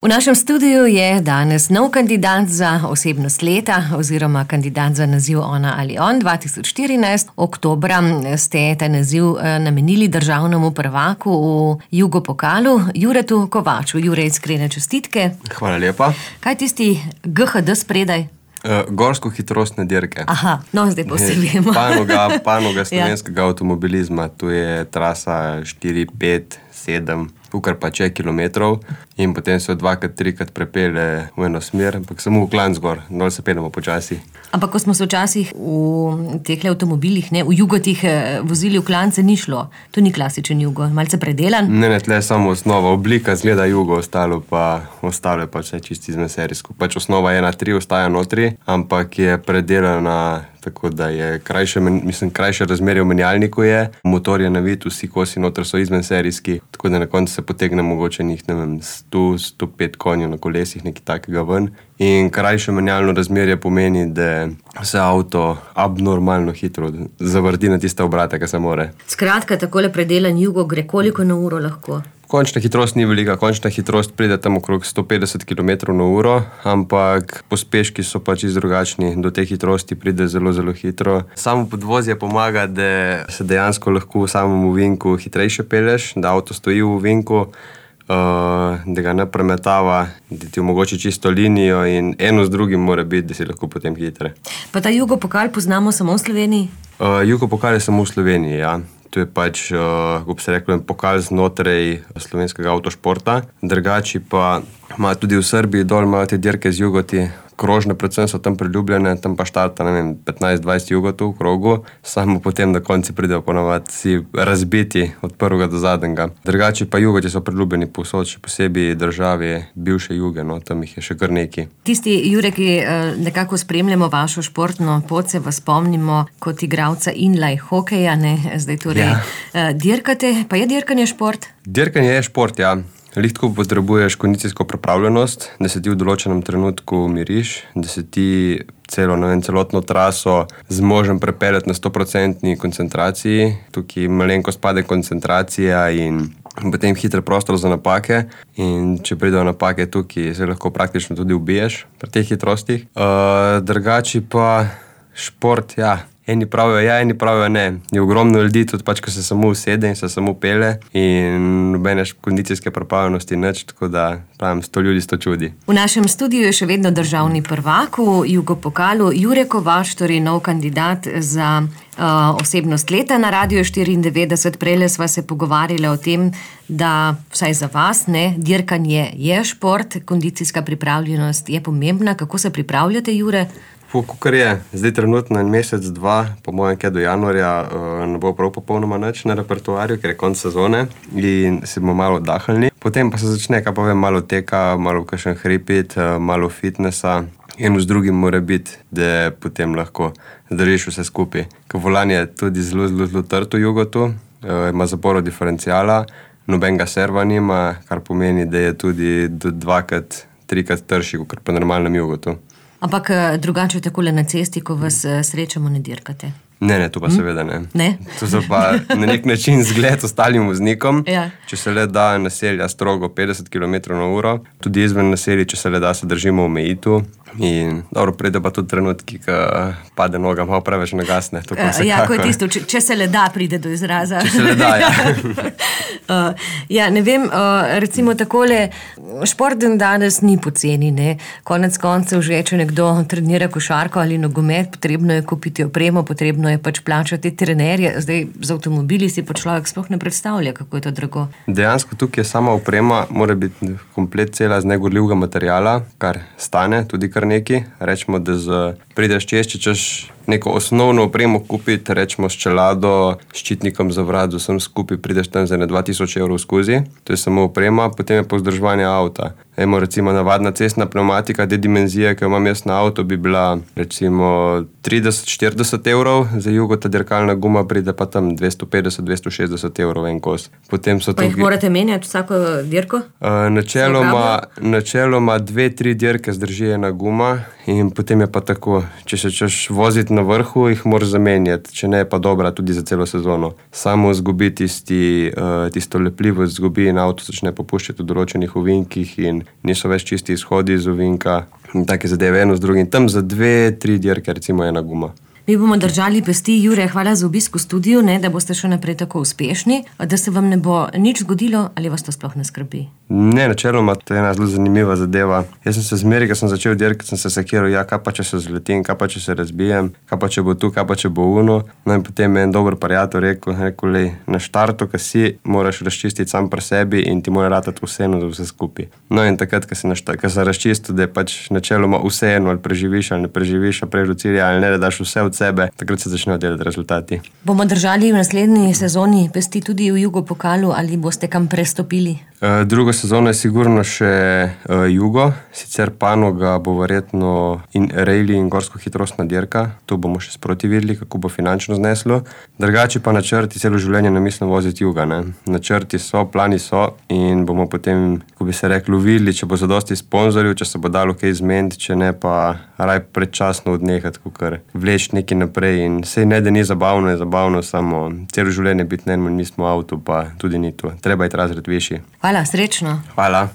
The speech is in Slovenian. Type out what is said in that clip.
V našem studiu je danes nov kandidat za osebnost leta oziroma kandidat za naziv Ona ali on 2014. Oktobra ste ta naziv namenili državnemu prvaku v Jugopokalu, Juretu Kovaču. Jure, iskrene čestitke. Hvala lepa. Kaj tisti GHD spredaj? Gorsko-hitrostne dirke. Aha, no zdaj posebej. Panoga slovenskega avtomobilizma. Tu je trasa 4, 5, 7, kar pa če kilometrov in potem se 2-krat, 3-krat prepelje v eno smer, ampak samo v klanc gor, dol se peljemo počasi. Ampak ko smo se včasih v teh avtomobilih, v jugotih vozili v klance, ni šlo. To ni klasičen jugo, malce predelan. Ne, tle je samo osnova, oblika zgleda jugo, ostalo je pa vse čisti izmeserijsko. Pač osnova 1.3 ostaja notri, ampak je predelana tako, da je krajše razmerje v menjalniku je. Motor je navit, vsi kosi noter so izmenserijski, tako da na koncu se potegne mogoče njih, 100-105 konjev na kolesih, nekaj takega ven. In krajše menjalno razmerje pomeni, da se avto abnormalno hitro zavrti na tiste obrate, ki se more. Skratka, takole predelan jugo gre koliko na uro lahko? Končna hitrost ni velika, končna hitrost pride tam okrog 150 km/h, ampak pospeški so pač drugačni, do te hitrosti pride zelo, zelo hitro. Samo podvozje pomaga, da se dejansko lahko v samem ovinku hitrejše pelješ, da avto stoji v ovinku, da ga ne premetava, da ti omogoči čisto linijo in eno z drugim mora biti, da si lahko potem hitre. Pa ta Jugopokal poznamo samo v Sloveniji? Jugopokal je samo v Sloveniji, ja. To je pač, kako bi se reklo, pokal znotraj slovenskega avtošporta. Drugači pa ima tudi v Srbiji dol, imajo te dirke z jugoti, krožne predvsem so tam priljubljene, tam pa štarta, 15-20 jugotov v krogu, samo potem na konci pridejo ponovadi si razbiti od prvega do zadnjega. Drugači pa jugoti so priljubljeni povsod, še posebej državi bivše juge, tam jih je še kar nekaj. Tisti, Jure, ki nekako spremljamo vašo športno pot, se vas spomnimo kot igralca inline hokeja, zdaj torej dirkate, pa je dirkanje šport? Dirkanje je šport, ja. Lihtko potrebuješ kondicijsko pripravljenost, da se ti v določenem trenutku umiriš, da se ti celotno traso zmožen prepeljati na 100% koncentraciji. Tukaj malenkost pade koncentracija in potem hiter prostor za napake. In če pridejo napake tukaj, se lahko praktično tudi ubiješ pri teh hitrostih. Drugači pa šport, ja. Eni pravijo ja, eni pravijo ne. Je ogromno ljudi tudi pač, ko se samo usede in se samo pelje in nobene kondicijske pripravljenosti nič, tako da pravim, 100 ljudi 100 čudi. V našem studiu je še vedno državni prvak v Jugopokalu, Jure Kovač, torej nov kandidat za osebnost leta na Radiu 94. Prejle sva se pogovarjali o tem, da vsaj za vas, dirkanje je šport, kondicijska pripravljenost je pomembna. Kako se pripravljate, Jure? Kukor je, zdaj trenutno en mesec, dva, po mojem, kaj do januarja, ne bo prav popolnoma nič na repertoarju, ker je konc sezone in si bomo malo oddahnili. Potem pa se začne, malo teka, malo kakšen hripit, malo fitnessa. Eno z drugim mora biti, da potem lahko zdržiš vse skupaj. Ker volan je tudi zelo, zelo, zelo trd v jugotu, ima zaporo diferencijala, nobenega serva nima, kar pomeni, da je tudi 2-krat, 3-krat trši, kot po normalnem jugotu. Ampak drugače takole na cesti, ko vas srečamo, ne dirkate? Ne, to pa seveda ne. Ne? To so pa na nek način zgled ostalim voznikom. Ja. Če se le da naselja strogo 50 km/h, tudi izven naselja, če se le da, se držimo omejitev. In dobro, pride pa tudi trenutki, ko pade noga, malo preveč nagasne. To pa ko je tisto, če se le da, pride do izraza. Če se le da, ja. Ja, ne vem, recimo takole, šport danes ni poceni, Konec koncev že, če nekdo trenira košarko ali nogomet, potrebno je kupiti opremo, potrebno je pač plačati trenerje. Zdaj, z avtomobili si pa človek sploh ne predstavlja, kako je to drago. Dejansko tukaj je sama oprema, mora biti komplet cela z negorljivega materiala, kar stane tudi kar neki. Rečemo, da prideš čez, če češ neko osnovno opremo kupiti, rečemo s čelado, ščitnikom za vrat, vsem skupaj prideš tam za 2000 evrov skozi. To je samo oprema, potem je pa vzdrževanje avta. Recimo navadna cestna pneumatika, te dimenzije, ki jo imam jaz na avto, bi bila recimo 30-40 evrov, za jugota dirkalna guma pride pa tam 250-260 evrov en kos. Pa jih morate menjati vsako dirko? Načeloma 2-3 dirke zdrži ena guma in potem je pa tako, če se češ voziti na vrhu, jih moraš zamenjati, če ne je pa dobra tudi za celo sezono. Samo zgubi tisto lepljivost, zgubi in avto začne popuščati v določenih ovinkih in niso več čisti izhodi iz ovinka in take zadeve eno z drugim. Tam za 2-3 dirke recimo ena guma. Mi bomo držali pesti. Jure, hvala za obisk v studiu, da boste še naprej tako uspešni, da se vam ne bo nič zgodilo, ali vas to sploh ne skrbi? Ne, načeloma to je ena zelo zanimiva zadeva. Jaz sem se zmeraj, ko sem začel dirkati, sem se sekiral, kaj pa če se zletim, kaj pa če se razbijem, kaj pa če bo tu, kaj pa če bo uno. No in potem je en dober prijatelj rekel, lej, na štartu, ko si, moraš razčistiti sam pri sebi in ti mora ratati vseeno za vse skupaj. No in takrat, ko se razčistil, da je pač načeloma vseeno, ali preživiš ali ne preživiš, ali prejš do cilja ali ne, da daš vse od sebe, takrat se začnejo delati rezultati. Bomo držali v naslednji sezoni pesti tudi v Jugopokalu ali boste kam prestopili? Drugo sezono je sigurno še Jugo, sicer panoga bo verjetno in rally in gorsko hitrostna dirka, to bomo še sproti videli, kako bo finančno zneslo. Drugače pa načrti, celo življenje ne mislim voziti Juga, ne. Načrti so, plani so in bomo potem, ko bi se reklo, videli, če bo zadosti sponzorjev, če se bo dalo kaj zmeniti, če ne pa raj predčasno odnehati, kakor vleči nekaj naprej in sej ne, da ni zabavno, je zabavno, samo celo življenje biti ne, mi smo avto, pa tudi ni to. Treba je razred višji. Hvala, srečno. Hvala.